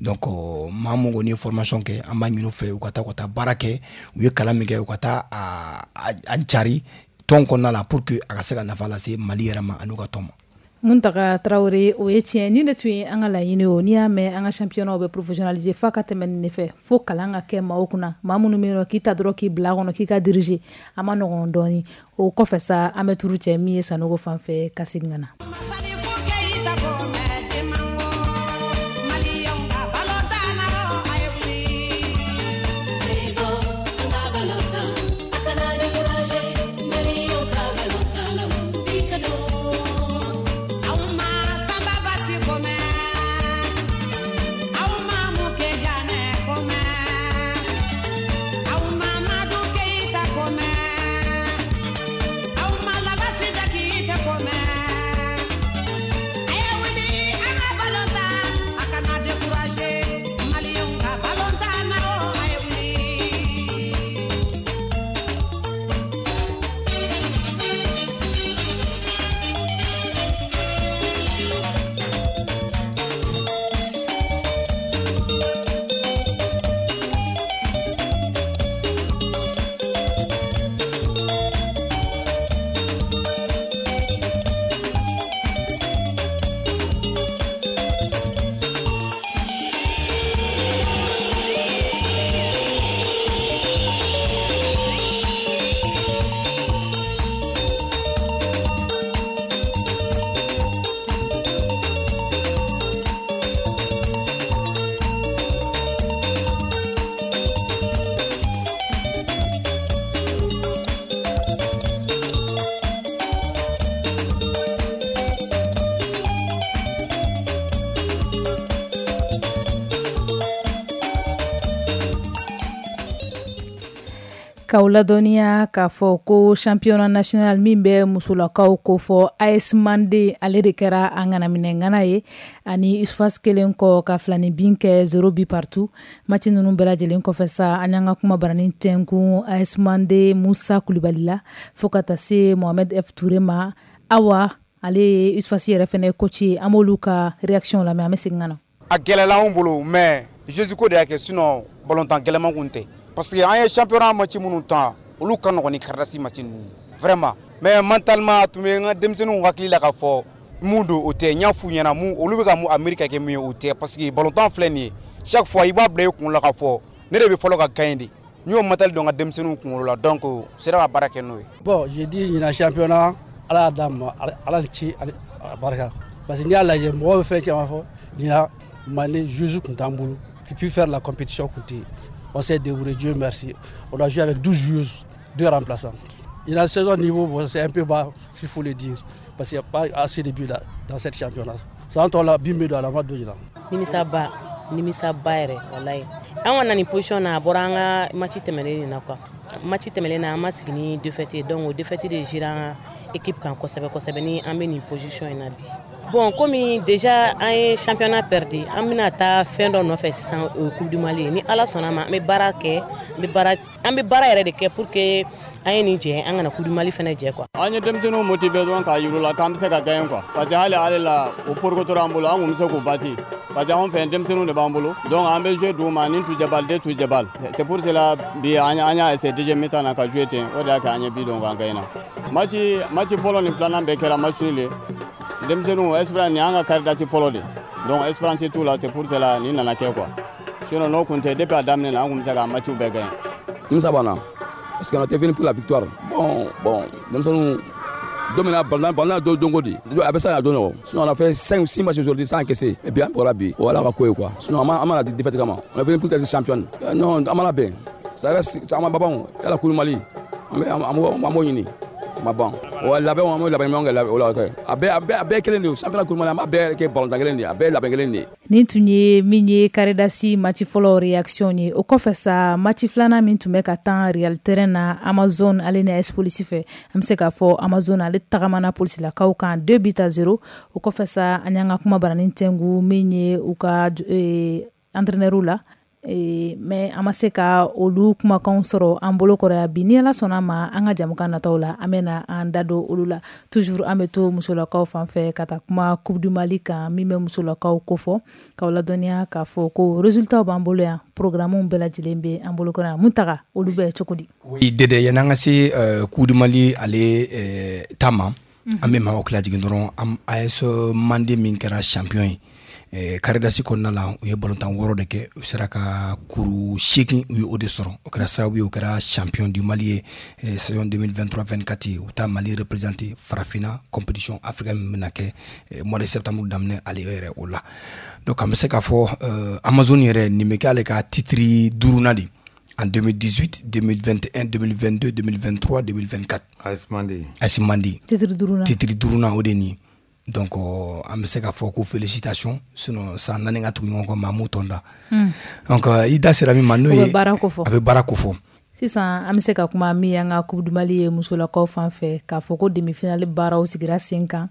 Donc maa mun kɔni ye formation kɛ, an b'a ɲini u fɛ u ka taa u ka taa baara kɛ, u ye kalan min kɛ, u ka taa a a cari tɔn kɔnɔna la pour que a ka se ka nafa lase Mali yɛrɛ ma ani u ka tɔn ma. Muntaka Tarawele, o ye tiɲɛ. Ni de tun ye an ka laɲini o, n'i y'a mɛn an ka championnat bɛ professionnaliser, f'a ka tɛmɛ nin de fɛ, fo kalan ka kɛ maaw kunna, maa minnu bɛ yen nɔ k'i ta dɔrɔn k'i bila a kɔnɔ k'i ka diriger, a ma nɔgɔn dɔɔni. O kɔfɛ sa, an bɛ turu cɛ min ye Sanogo fan fɛ ka segin ka na. Aw ma labasi da k'i tɛ ko mɛn. K'aw ladɔnniya k'a fɔ ko championnat national min bɛ musolakaw kofɔ, A S Mande ale de kɛra a ŋanaminɛŋana ye ani U S F A S kelen kɔ ka filani bin kɛ zéro but partout. Match ninnu bɛɛ lajɛlen kɔfɛ sa, an y'an ka kuma baranin tɛnkun A S Mande Musa Kulibali la fo ka taa se Mohamed F Touré ma. Awa, ale ye U S F A S yɛrɛ fɛnɛ coach ye. An b'olu ka réaction lamɛn, an bɛ segin ka na. A gɛlɛla anw bolo, mais jeu ko de y'a kɛ, sinon balontan gɛlɛman kun tɛ, parce que an ye championnat match minnu tan, olu ka nɔgɔn ni Caridas match ninnu vraiment. Mais mentalement, a tun bɛ n ka denmisɛnninw hakili la k'a fɔ mun don, o tɛ. N y'a f'u ɲɛna mun olu bɛ ka mun a miiri ka kɛ min ye, o tɛ, parce que balontan filɛ nin ye, chaque fois i b'a bila i kun la k'a fɔ ne de bɛ fɔlɔ ka gagner de. N y'o mental don n ka denmisɛnninw kunkolo la, donc u sera ka baara kɛ n'o ye. Bon, j'ai dit ɲinan championnat, Ala y'a d'an ma, Ala ni ci, a barika, parce que n'i y'a lajɛ, mɔgɔw bɛ fɛn caman fɔ. Ɲinan Mali joueurs tun t'an bolo qui puisse faire la compétition tun tɛ yen. On s'est débrouillé, Dieu merci. On a joué avec douze joueuses, deux remplaçants. Et la saison niveau, bon, c'est un peu bas, il faut le dire, parce qu'il n'y a pas assez de buts là, dans cette championnat. San tɔ la bin bɛ don a la, ma don ɲinan. Nimisaba, nimisaba yɛrɛ, walayi. An ka na nin position na, a bɔra an ka match tɛmɛnen de na quoi. Match tɛmɛnen na, an ma sigi ni défaite ye, donc o défaite de géré an ka équipe kan kosɛbɛ kosɛbɛ ni an bɛ nin position in na bi. Bon, komi déjà an ye championnat perdu, an bɛna taa fɛn dɔ nɔfɛ sisan, o ye Coupe du Mali ye. Ni Ala sɔnna ma, an bɛ baara kɛ, an bɛ baara, an bɛ baara yɛrɛ de kɛ pour que an ye nin jɛ, an kana Coupe du Mali fɛnɛ jɛ quoi. An ye denmisɛnninw motiver dɔrɔn k'a yir'u la k'an bɛ se ka gagner quoi, parce que hali ale la o porokotora an bolo, an kun bɛ se k'u battre, parce que anw fɛ denmisɛnninw de b'an bolo, donc an bɛ jouer d'u ma ni tujɛbal de tujɛbal. C'est pour cela bi an an y'a essayer deuxième mi-temps na ka jouer ten, o de y'a kɛ an ye bi don k'an gagner. Match match fɔlɔ ni filanan bɛɛ kɛra match nul ye. Denmisɛnninw espérance, nin y'an ka Caridas fɔlɔ de, donc espérance t'u la, c'est pour cela nin nana kɛ quoi. Sinon n'o kun tɛ, depuis a daminɛ na, an kun bɛ se ka match bɛɛ gagner. Nimisa b'an na parce qu'on était venu pour la victoire. Bon, bon, denmisɛnninw don min na balontan balontan don don ko di a bɛ se ka don nɔgɔ. Sinon on a fait cinq six matchs aujourd'hui sans encaisser et puis an bɔra bi, o Ala ka ko ye quoi. Sinon an ma an ma na défaite kama, on est venu pour être championne. Non, an ma labɛn, ça reste an ma babanw yala Coupe du Mali, an bɛ an b'o an b'o ɲini ma ban wa labɛnw, an b'o labɛn ɲuman kɛ o la kɛ. A bɛɛ a bɛɛ a bɛɛ kelen de ye, championnat, Coupe du Mali, an b'a bɛɛ kɛ balontan kelen de ye, a bɛɛ ye labɛn kelen de ye. Nin tun ye min ye Caridas match fɔlɔ réaction ye. O kɔfɛ sa, match filanan min tun bɛ ka tan Real terrain na, Amazon ale ni A S Police fɛ, an bɛ se k'a fɔ Amazon ale tagamana polisilakaw kan deux buts à zéro. O kɔfɛ sa, an y'an ka kuma baranin tɛngu min ye u ka eh, entraîneur la, e, mais an ma se ka olu kumakanw sɔrɔ an bolo kɔrɔ yan bi. Ni Ala sɔnna ma, an ka jamukan nataw la, an bɛna an da don olu la. Toujours an bɛ to musolakaw fan fɛ ka taa kuma Coupe du Mali kan min bɛ musolakaw kofɔ. K'aw ladɔnniya k'a fɔ ko résultat b'an bolo yan, programme bɛɛ lajɛlen bɛ an bolo kɔrɔ yan. Mun taga olu bɛ cogo di? Oui Dede, yanni an ka se euh, Coupe du Mali ale euh, ta ma, an bɛ maaw lajigin dɔrɔn. An A S Mande min kɛra champion ye eh, Caridas kɔnɔna la, u ye balontan wɔɔrɔ de kɛ, u sera ka kuru seegin, u ye o de sɔrɔ. O kɛra sababu ye u kɛra champion du Mali ye eh, saison deux mille vingt-trois vingt-quatre. U bɛ taa Mali représenter farafinna compétition africaine min bɛna kɛ eh, mois de septembre daminɛ ale yɛrɛ o la. Donc an bɛ se k'a fɔ euh, Amazon yɛrɛ, nin bɛ kɛ ale ka titre duurunan de, en deux mille dix-huit, deux mille vingt et un, deux mille vingt-deux, deux mille vingt-trois, deux mille vingt-quatre. A S Mande. A S Mande. Titre duurunan. Titre duurunan o de nin. Donc an bɛ se k'a fɔ ko félicitation, sinon san naani ka tugu ɲɔgɔn kɔ, maa m'u tɔn da. Donc i da sera min ma, n'o ye o bɛ baara ko fɔ. A bɛ baara ko fɔ. Sisan an bɛ se ka kuma min y'an ka Coupe du Mali ye musolakaw fan fɛ, k'a fɔ ko demi-finale baaraw sigira sen kan.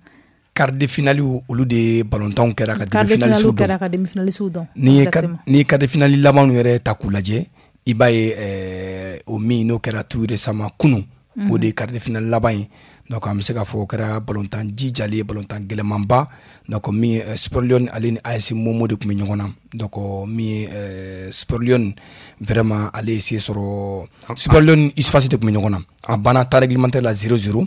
Quart de finale, olu de balontanw kɛra ka quart de demi-finale finale dɔn. Kɛra ka demi-finale dɔn. N'i ye Exactement. N'i ye quart de finale labanw yɛrɛ ta k'u lajɛ, i b'a ye ɛɛ o min n'o kɛra tout récemment kunun, o de ye quart de finale laban ye. Donc an bɛ se k'a fɔ o kɛra balontan jijalen ye, balontan gɛlɛmanba. Donc min ye Super Lion, ale ni A S Momo de tun bɛ ɲɔgɔn na. Donc min ye euh, Super Lion, vraiment ale ye se sɔrɔ. Super Lion, U S F A S de tun bɛ ɲɔgɔn na, a banna temps réglementaire la zéro zéro.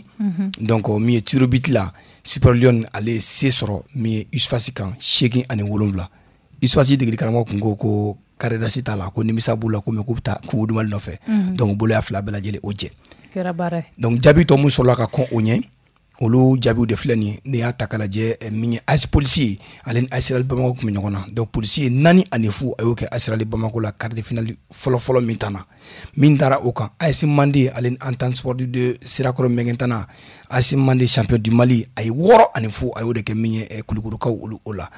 Donc min ye tir au but la, Super Lion ale ye se sɔrɔ min ye U S F A S kan seegin ani wolonwula. U S F A S degeli karamɔgɔ kun ko ko Caridas t'a la, ko nimisa b'u la, ko mais k'u bɛ taa Coupe du Mali nɔfɛ. Donc u bolo y'a fila bɛɛ lajɛlen o jɛ. Kɛra baara ye. Donc jaabi tɔ mun sɔrɔla ka kɔn o ɲɛ, olu jaabiw de filɛ nin ye. N'i y'a ta k'a lajɛ, eh, min ye A S Police ye, ale ni A S Real Bamako tun bɛ ɲɔgɔn na. Donc Police ye naani ani fu, a y'o kɛ A S Real Bamako la quart de finale fɔlɔ-fɔlɔ min tanna. Min dara o kan, A S Mande ale ni Entente Sportive de Sirakɔrɔ Mɛngɛntana, A S Mande champion du Mali, a ye wɔɔrɔ ani fu, a y'o de kɛ min ye eh, Kulukorokaw olu o la.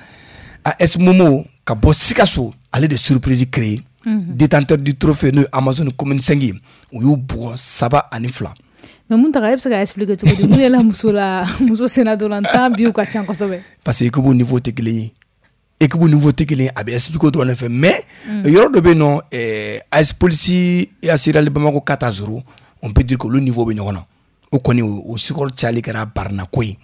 A S Momo ka bɔ Sikaso, ale de surprise créé. Détenteur du trophée n'o ye Amazone commune cinq ye, u y'u bugɔ saba ani fila. Mais mun taga, e bɛ se ka expliquer cogo di mun yɛlɛ muso la, muso sennadolantan biw ka ca kosɛbɛ? Parce que équipe niveau tɛ kelen ye, équipe niveau tɛ kelen ye, a bɛ expliquer o dɔrɔn de fɛ. Mais yɔrɔ dɔ bɛ yen nɔ, A S Police et A S Real Bamako quatre à zéro, on peut dire que olu niveau bɛ ɲɔgɔn na. O kɔni, o score cayali kɛra barinako ye.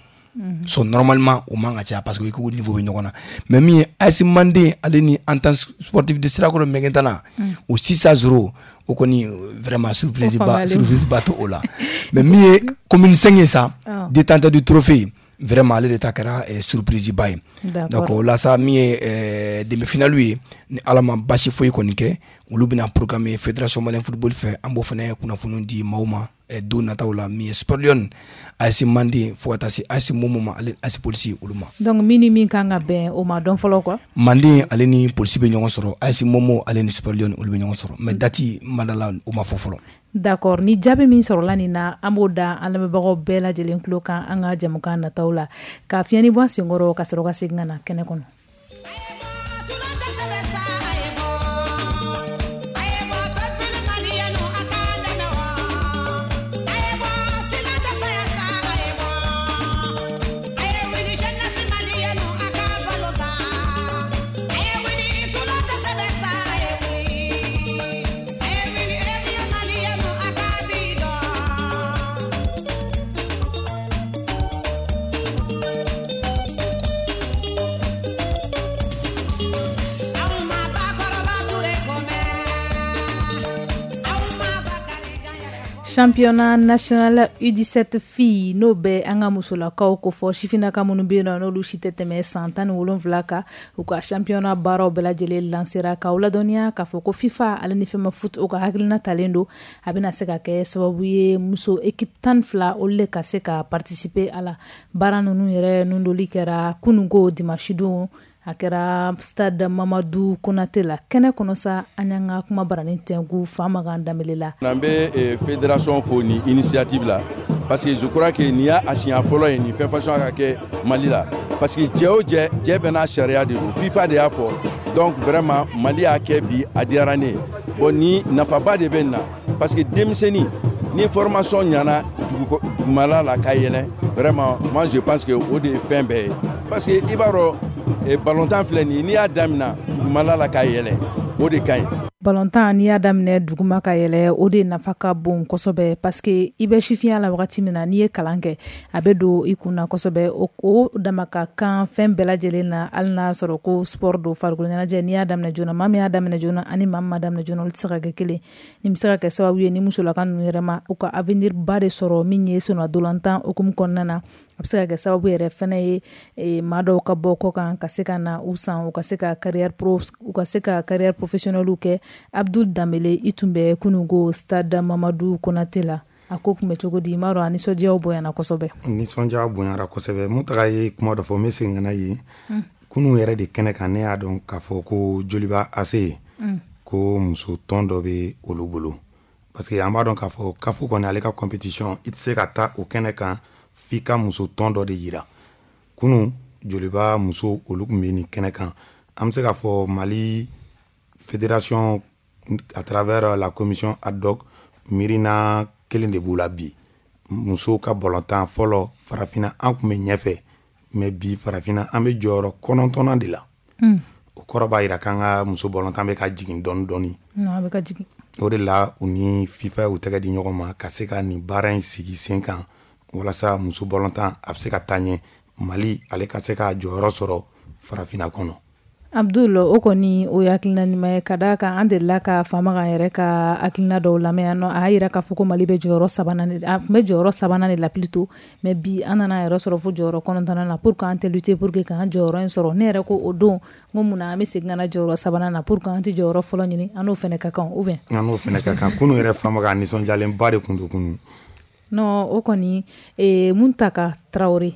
So normalement o man ka caya parce que équipe niveau bɛ ɲɔgɔn na. Mais min ye A S Manden ale ni Entente Sportive de Sirakɔrɔ Mɛgɛntana, o six à zéro, o kɔni vraiment surprise ba, surprise ba to o la. Mais min ye commune cinq ye sa, détenteur du trophée, vraiment ale de ta kɛra surprise ba ye. Donc o la sa, min ye demi finale ye, ni Ala ma basi foyi kɔni kɛ, olu bɛna programme Fédération malienne football fɛ. An b'o fana kunnafoni di maaw ma don nataw la. Min ye Sport Lion, A S Manden, fo ka taa se A S Momo ma, ale A S Police, olu ma. Donc min ni min kan ka bɛn, o ma dɔn fɔlɔ quoi. Manden ale ni Police bɛ ɲɔgɔn sɔrɔ, A S Momo ale ni Sport Lion, olu bɛ ɲɔgɔn sɔrɔ, mais date ma da la, o ma fɔ fɔlɔ. D'accord, ni jaabi min sɔrɔla nin na, an b'o da an lamɛnbagaw bɛɛ lajɛlen tulo kan an ka jɛmukan nataw la. Ka fiɲɛni bɔ an senkɔrɔ, ka sɔrɔ ka segin ka na kɛnɛ kɔnɔ. Championnat national U dix-sept filles, n'o bɛ an ka musolakaw ko fɔ, sifinnaka minnu bɛ yen nɔ, n'olu si tɛ tɛmɛ san tan ni wolonwula kan, u ka championnat baaraw bɛɛ lajɛlen lancera. K'aw ladɔnniya k'a fɔ ko FIFA ale ni FEMAFOOT, o ka hakilina talen don, a bɛna se ka kɛ sababu ye muso équipe tan ni fila, olu de ka se ka participer a la. Baara ninnu yɛrɛ nundoli kɛra kununko dimanche don, a kɛra stade Mamadu Konate la. Kɛnɛ kɔnɔ sa, an y'an ka kuma baranin tɛnku Famakan Danbele la. An bɛ fédération fo ni initiative la, parce que je crois que nin y'a a siɲɛ fɔlɔ ye nin fɛn façon ka kɛ Mali la, parce que cɛ o cɛ, cɛ bɛɛ n'a sariya de don, FIFA de y'a fɔ. Donc vraiment Mali y'a kɛ bi, a diyara ne ye. Bon, ni nafaba de bɛ nin na, parce que denmisɛnnin ni formation ɲɛna dugumala la ka yɛlɛn, vraiment moi je pense que o de ye fɛn bɛɛ ye, parce que i b'a dɔn, balontan filɛ nin ye, n'i y'a daminɛ dugumala la ka yɛlɛn, o de ka ɲi. Balontan, n'i y'a daminɛ duguma ka yɛlɛ, o de nafa ka bon kosɛbɛ, parce que i bɛ sifinya la wagati min na, n'i ye kalan kɛ, a bɛ don i kun na kosɛbɛ. O dama ka kan fɛn bɛɛ lajɛlen na, hali n'a sɔrɔ ko sport don, farikolo ɲɛnajɛ. N'i y'a daminɛ joona, maa min y'a daminɛ joona ani maa min ma daminɛ joona, olu tɛ se ka kɛ kelen. Nin bɛ se ka kɛ sababu ye ni musolaka ninnu yɛrɛ ma, u ka avenir ba de sɔrɔ min ye sennadolantan hukumu kɔnɔna na. A bɛ se ka kɛ sababu yɛrɛ fɛnɛ ye maa dɔw ka bɔ kɔ kan ka se ka na u san, u ka se ka carrière pro, u ka se ka carrière professionnelle kɛ. Abdul Danbele, i tun bɛ kununko stade Mamadu Konate la, a ko tun bɛ cogo di? I m'a dɔn, a nisɔndiyaw bonyana kosɛbɛ. Nisɔndiya bonyara kosɛbɛ. Mun taga ye kuma dɔ fɔ, n bɛ segin ka na yen. Kunun yɛrɛ de kɛnɛ kan, ne y'a dɔn k'a fɔ ko Joliba A C, ko muso tɔn dɔ bɛ olu bolo, parce que an b'a dɔn k'a fɔ CAF kɔni, ale ka compétition, i tɛ se ka taa o kɛnɛ kan f'i ka muso tɔn dɔ de yira. Kunun Joliba muso, olu tun bɛ nin kɛnɛ kan. An bɛ se k'a fɔ Mali fédération, à travers la commission ad hoc, miirina kelen de b'u la bi. Musow ka balontan fɔlɔ, farafinna an tun bɛ ɲɛfɛ, mais bi farafinna an bɛ jɔyɔrɔ kɔnɔntɔnnan de la. O kɔrɔ b'a jira k'an ka muso balontan bɛ ka jigin dɔɔni dɔɔni. A bɛ ka jigin. O de la u ni FIFA y'u tɛgɛ di ɲɔgɔn ma ka se ka nin baara in sigi sen kan, walasa muso balontan a bɛ se ka taa ɲɛ, Mali ale ka se ka jɔyɔrɔ sɔrɔ farafinna kɔnɔ. Abdul, o kɔni o ye hakilina ɲuman ye, ka d'a kan an delila ka Famakan yɛrɛ ka hakilina dɔw lamɛn yan nɔ. A y'a yira k'a fɔ ko Mali bɛ jɔyɔrɔ sabanan, a tun bɛ jɔyɔrɔ sabanan de la plutôt, mais bi an nana yɛrɛ sɔrɔ fo jɔyɔrɔ kɔnɔntɔnnan na. Pour que an tɛ lutter pour que k'an jɔyɔrɔ in sɔrɔ, ne yɛrɛ ko o don n ko munna an bɛ segin ka na jɔyɔrɔ sabanan na? Pour que an tɛ jɔyɔrɔ fɔlɔ ɲini? An n'o fana ka kan ou bien? An n'o fana ka kan. Kunun yɛrɛ Famakan nisɔndiyalenba de tun don kunun. Non, o kɔni, Muntaka Traoré,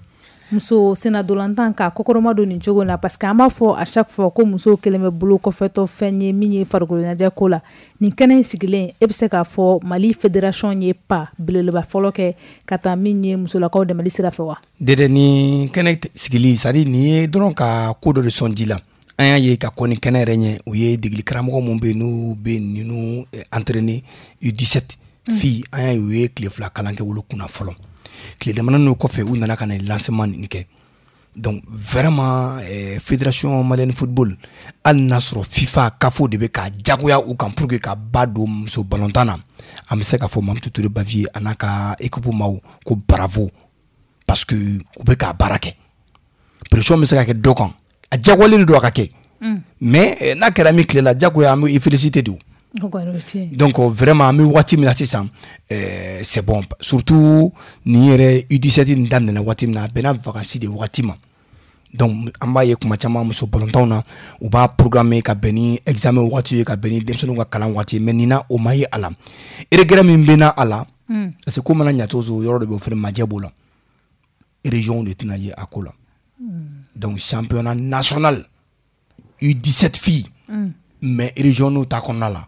muso sennadolantan, k'a kɔkɔrɔma don nin cogo in na, parce que an b'a fɔ à chaque fois ko musow kɛlen bɛ bolo kɔfɛtɔ fɛn ye min ye farikolo ɲɛnajɛ ko la. Nin kɛnɛ in sigilen, e bɛ se k'a fɔ Mali fédération ye pas belebeleba fɔlɔ kɛ ka taa min ye musolakaw dɛmɛli sira fɛ wa? Dede, ni kɛnɛ sigili, c'est à dire nin ye dɔrɔn ka ko dɔ de sɔn ji la. An y'a ye ka kɔni kɛnɛ yɛrɛ ɲɛ, u ye degeli karamɔgɔ mun bɛ yen n'u bɛ ninnu entraîner U dix-sept filles, an y'a ye u ye tile fila kalan kɛ olu kunna fɔlɔ. Tile damadɔ n'o kɔfɛ, u nana ka na lancement nin kɛ. Donc vraiment eh, Fédération malienne football, hali n'a sɔrɔ FIFA CAF de bɛ ka jagoya u kan pour que ka ba don muso balontan na, an bɛ se k'a fɔ Mamutu Ture Baviye a n'a ka équipe maaw ko bravo, parce que u bɛ k'a baara kɛ. Pression bɛ se ka kɛ dɔ kan, a jagoyalen don a ka kɛ, mais n'a kɛra min tile la, jagoya an bɛ i féliciter de. Donc vraiment an bɛ waati min na sisan, c'est bon, surtout nin yɛrɛ U dix-sept nin daminɛna waati min na, a bɛnna vacances de waati ma. Donc an b'a ye kuma caman muso balontanw na, u b'a programmer ka bɛn ni examen waati ye, ka bɛn ni denmisɛnninw ka kalan waati ye, mais nin na o ma ye a la. Regret min bɛ na a la, parce que ko mana ɲɛ cogo o cogo, yɔrɔ dɔ bɛ yen o fana majɛ b'o la, région de tɛna ye a ko la. Donc championnat national U dix-sept filles, mais région n'u ta kɔnɔna la,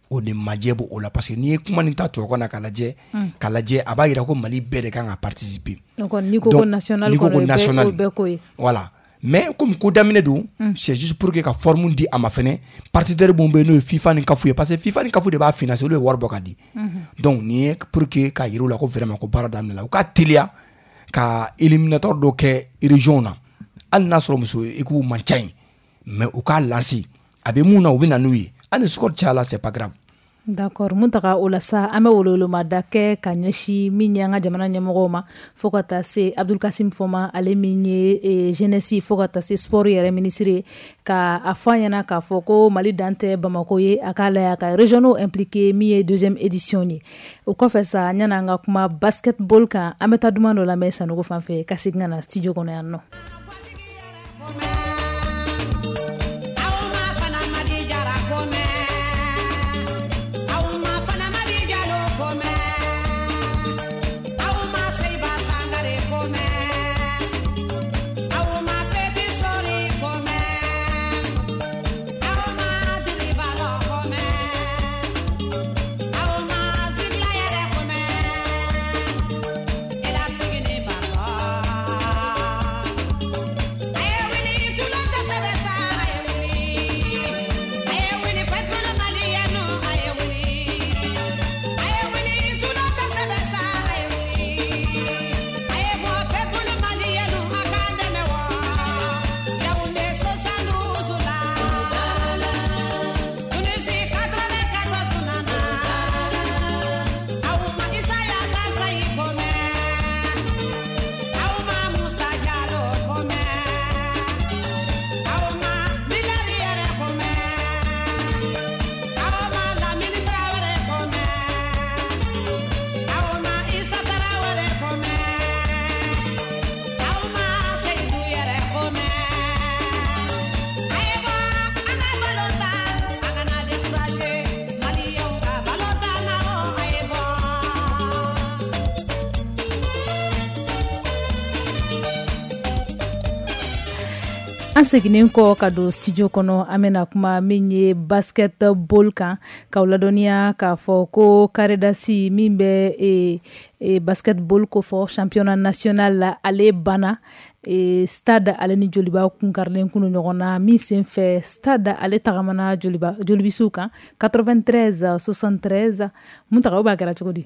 o de majɛ b'o la, parce que n'i ye kuma nin ta tubabukan na k'a lajɛ, k'a lajɛ a b'a jira ko Mali bɛɛ de kan ka participer. Donc n'i ko ko national kɔnɔ, o bɛɛ ko ye. Voilà, mais comme ko daminɛ don, c'est juste pour que ka forme di a ma fɛnɛ, partenaire mun bɛ yen n'o ye FIFA ni CAF ye, parce que FIFA ni CAF de b'a financer, olu bɛ wari bɔ ka di. Donc nin ye pour que k'a yir'u la ko vraiment ko baara daminɛ la, u ka teliya ka éliminatoire dɔ kɛ région na, hali n'a sɔrɔ muso équipe man ca yen, mais u k'a lancer, a bɛ mun na u bɛ na n'u ye, hali ni score cayala, c'est pas grave. D'accord, Muntaga, o la sa an bɛ welewelema kɛ ka ɲɛsin min ye an ka jamana ɲɛmɔgɔw ma, fo ka taa se Abdul Kasim Foma, ale min ye jeunesse fo ka taa se sport yɛrɛ ministre ye, ka a fɔ an ɲɛna k'a fɔ ko Mali dan tɛ Bamako ye, a k'a lajɛ a ka régionaux impliqué min ye deuxième édition ye. O kɔfɛ sa, yanni an ka kuma basketball kan, an bɛ taa duman dɔ lamɛn Sanogo fan fɛ ka segin ka na studio kɔnɔ yan nɔ. An seginnen kɔ ka don studio kɔnɔ, an bɛna kuma min ye basketball kan, k'aw ladɔnniya k'a fɔ ko Karidasi min bɛ e, e, basketball ko fɔ championnat national la, ale banna e, stade ale ni Joliba kunkarilen kunu ɲɔgɔn na, min senfɛ stade ale tagamana Joliba jolibisiw kan quatre-vingt-treize soixante-treize. Muntaga, o b'a kɛra cogo di?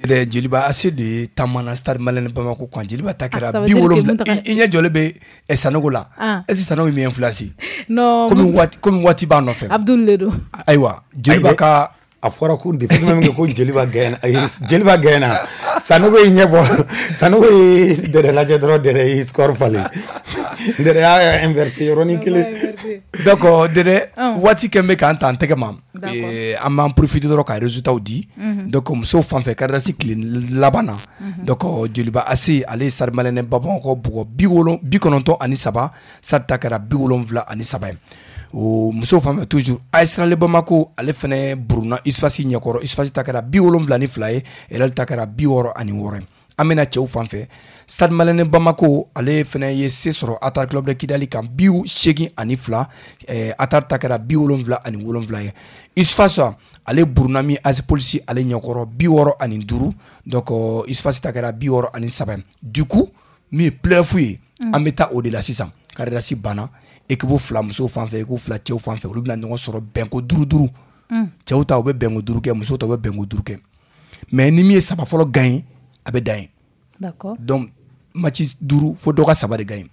Dɛ, Joliba A C de taamana Stade Malien Bamako kan. Joliba ta kɛra bi wolonwula. I ɲɛ jɔlen bɛ Sanogo la, est ce que Sanogo ye min influence? Non, komi waati komi waati b'a nɔfɛ. Abdul le don. Ayiwa, Joliba ka a fɔra ko depuis même ko Joliba gagné, Joliba gagné, Sanogo ye ɲɛ bɔ, Sanogo ye Dɛdɛ lajɛ dɔrɔn, Dɛdɛ ye score falen, Dɛdɛ y'a inversé yɔrɔnin kelen. Donc Dɛdɛ, waati kɛn bɛ k'an ta an tɛgɛ ma, an b'an profiter dɔrɔn ka résultat di. Donc musow fan fɛ, Karidasi tile laban na, donc Joliba A C ale ye Stade Malien Bamakɔ bugɔ bi wolon bi kɔnɔntɔn ani saba, Stade ta kɛra bi wolonwula ani saba ye. O musow fan fɛ toujours, A S Real Bamako ale fɛnɛ buruna USFAS ɲɛkɔrɔ, USFAS ta kɛra bi wolonwula ni fila ye, Real ta kɛra bi wɔɔrɔ ani wɔɔrɔ ye. An bɛna cɛw fan fɛ, Stade Malien Bamako ale fɛnɛ ye se sɔrɔ Atar Club de Kidali kan bi seegin ani fila, Atar ta kɛra bi wolonwula ani wolonwula ye. USFAS ale buruna min A S Police ale ɲɛkɔrɔ bi wɔɔrɔ ani duuru, donc USFAS ta kɛra bi wɔɔrɔ ani saba ye. Du coup min ye play-off ye, an bɛ taa o de la sisan. Karidasi banna, Équipe fila musow fan fɛ, équipe fila cɛw fan fɛ, olu bɛna ɲɔgɔn sɔrɔ bɛnko duuru duuru. Cɛw ta u bɛ bɛnko duuru kɛ, musow ta u bɛ bɛnko duuru kɛ. Mais ni min ye saba fɔlɔ gagné, a bɛ dan yen. D'accord. Donc match duuru fo dɔ ka saba de gagné.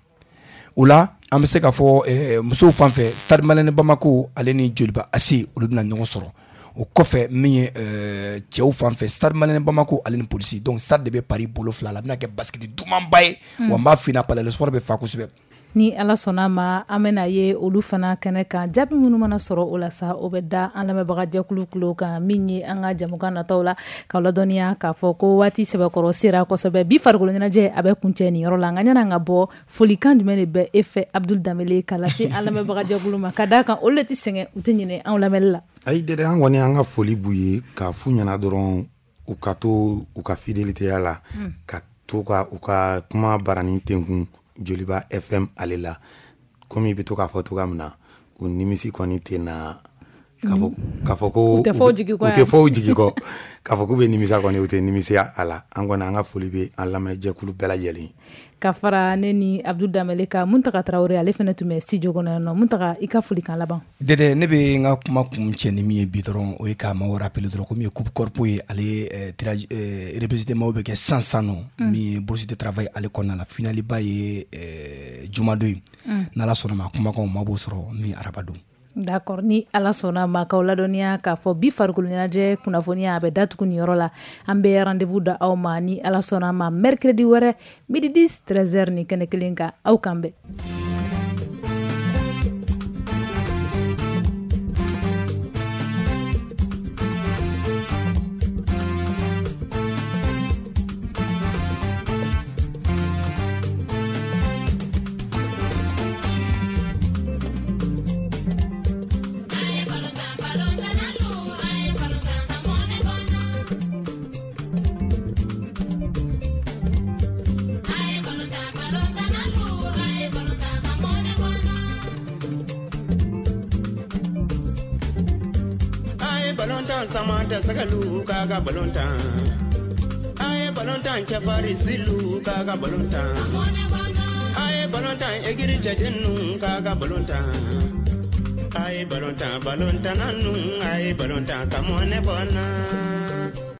O la an bɛ se k'a fɔ eh, musow fan fɛ, Stade Malien Bamako ale ni Joliba A C olu bɛna ɲɔgɔn sɔrɔ. O kɔfɛ min ye euh, cɛw fan fɛ, Stade Malien Bamako ale ni Polisi. Donc Stade de bɛ Paris bolo fila la, a bɛna kɛ basket dumanba ye. Wa n b'a f'i ɲɛna, Palais de Sport bɛ fa kosɛbɛ. Ni Ala sɔnna ma, an bɛna ye olu fana kɛnɛ kan. Jaabi minnu mana sɔrɔ o la sa, o bɛ da an lamɛnbagajɛkulu tulo kan, min ye an ka jamukan nataw la, k'aw ladɔnniya k'a fɔ ko waati sɛbɛkɔrɔ sera kosɛbɛ. Bi farikolo ɲɛnajɛ a bɛ kuncɛ nin yɔrɔ la. Nka ɲɛna an ka bɔ, folikan jumɛn de bɛ e fɛ, Abdul Danbele, ka lase an lamɛnbagajɛkulu ma, ka d'a kan olu de tɛ sɛgɛn, u tɛ ɲinɛ anw lamɛnli la? Ayi dɛ, an kɔni an ka foli b'u ye k'a f'u ɲɛna dɔrɔn u ka to u ka fidélité la, ka to ka u ka kuma baranin tenkun Joliba F M ale la. Komi i bɛ to k'a fɔ cogoya min na, u nimisi kɔni tɛ na k'a fɔ ko u tɛ fɔ u jigi kɔ, u tɛ fɔ u jigi kɔ, k'a fɔ k'u bɛ nimisa kɔni, u tɛ nimisiya a la. An kɔni an ka foli bɛ an lamɛnjɛkulu bɛɛ lajɛlen. Ka fara ne ni Abdul Danbele kan, Muntaga Tarawele ale fana tun bɛ studio kɔnɔ yan nɔ. Muntaga, i ka folikan laban. Dɛdɛ, ne bɛ n ka kuma kun cɛ ni min ye bi dɔrɔn, o ye k'a maaw rappeler dɔrɔn komi ye coupe corpo ye, ale tirage représenté maaw bɛ kɛ san san nɔ, min ye bourse de travail ale kɔnɔna la. Finale ba ye jumadon ye, n'Ala sɔnna ma, kumakanw maa b'o sɔrɔ min araba don. D'accord, ni Ala sɔnna ma, k'aw ladɔnniya k'a fɔ bi farikolo ɲɛnajɛ kunnafoniya a bɛ datugu nin yɔrɔ la. An bɛ rendez-vous da aw ma ni Ala sɔnna ma mercredi wɛrɛ midi dix treize heures ni kɛnɛ kelen kan. Aw kan bɛn. Samanta sagalu kaga balontan, aye balontan chafari silu kaga balontan, aye balontan egiri chajennu kaga balontan, aye balontan balontan nanu, aye balontan kamone bona.